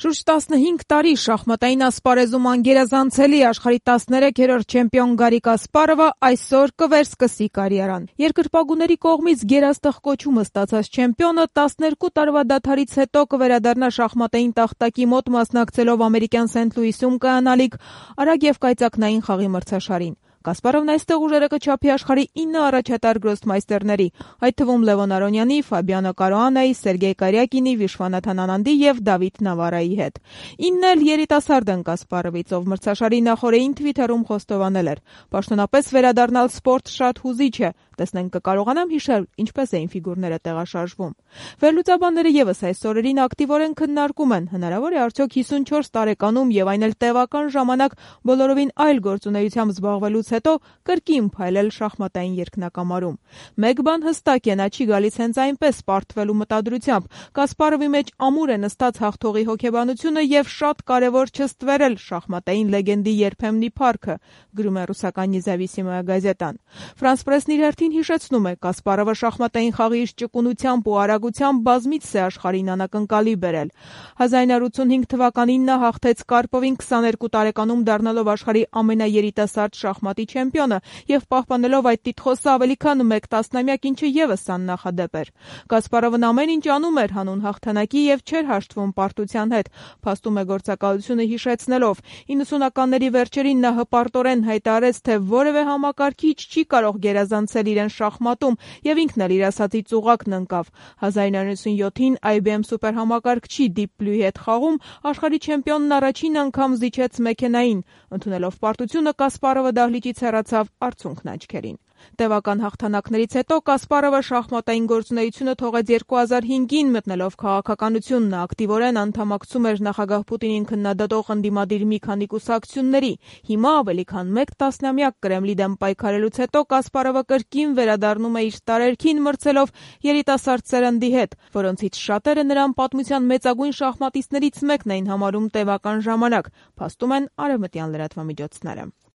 Շուրջ 15 տարի շախմատային ասպարեզում անգերազանցելի աշխարհի 13-րդ չեմպիոն Գարի Կասպարովը այսօր կվերսկսի կարիերան։ Երկրպագուների կողմից գերաստղ կոչումը ստացած չեմպիոնը 12 տարվա դադարից հետո կվերադառնա շախմատային տախտակի մոտ մասնակցելով ամերիկյան Սենթ Լուիսում կայանալիք արագ եւ կայծակնային խաղի մրցաշարին։ Կասպարովն այստեղ ուժերը կչափի աշխարհի 9 առաջատար գրոսմայստերների, այդ թվում Լևոն Արոնյանի, Ֆաբիանո Կարուանայի, Սերգեյ Կարյակինի, Վիշվանաթան Անանդի եւ Դավիթ Նավարայի հետ։ 9-ն էլ երիտասարդ են Կասպարովից, ով մրցաշարի նախօրեին Թվիթերում խոստովանել էր. «Պաշտոնապես վերադառնալ սպորտ շատ հուզիչ է, տեսնենք կկարողանամ հիշել, ինչպես էին ֆիգուրները տեղաշարժվում»։ Վերլուծաբանները եւս այս օրերին ակտիվորեն քննարկում են, հնարավոր է արդյոք 54 տարեկանում եւ այն էլ տևական ժամանակ բոլորովին այլ գործունեությամբ զբաղվելուց հետո կրկին փայլել շախմատային երկնակամարում։ Մեկ բան հստակ է, նա չի գալիս հենց այնպես պարտվելու մտադրությամբ։ Կասպարովի մեջ ամուր է նստած հաղթողի հոգեբանությունը եւ շատ կարեւոր չստվերել շախմատային լեգենդի երբեմնի փառքը, գրում է ռուսական Նեզավիսիմոյա գազետան։ Ֆրանս պրեսն իր հերթին հիշեցնում է, Կասպարովը շախմատային խաղի իր ճկունությամբ ու արագությամբ բազմիցս է աշխարհին անակնկալի բերել։ 1985 թվականին նա հաղթեց Կարպովին 22 տարեկանում դառնալով աշխարհի ամենաերիտասարդ շախմատի չեմպիոնը եւ պահպանելով այդ տիտղոսը ավելի քան 1 տասնամյակ, ինչը եւս աննախադեպ էր։ Կասպարովն ամեն ինչ անում էր հանուն հաղթանակի եւ չէր հաշտվում պարտության հետ, փաստում է գործակալությունը հիշեցնելով. 90-ականների վերջերին նա հպարտորեն հայտարարեց, թե որևէ համակարգիչ չի կարող գերազանցել իրեն շախմատում եւ ինքն էլ իր ասածի ծուղակն ընկավ։ 1997-ին IBM սուպերհամակարգչի Deep Blue-ի հետ խաղում աշխարհի չեմպիոնն առաջին անգամ զիջեց մեքենային։ Ընդունելով պարտությունը Կասպարովը դահլիճից հեռացավ արցունքն աչքերին։ Տևական հաղթանակներից հետո Կասպարովը շախմատային գործունեությունը թողեց 2005-ին, մտնելով քաղաքականություն։ Նա ակտիվորեն անդամակցում էր նախագահ Պուտինին քննադատող ընդդիմադիր մի քանի կուսակցությունների։ Հիմա ավելի քան 1 տասնամյակ Կրեմլի դեմ պայքարելուց հետո Կասպարովը կրկին վերադառնում է իր տարերքին, մրցելով երիտասարդ սերնդի հետ, որոնցից շատերը նրան պատմության մեծագույն շախմատիստներից մեկն էին համարում տևական ժամանակ, փաստում են արևմտյան լրատվամիջոցները։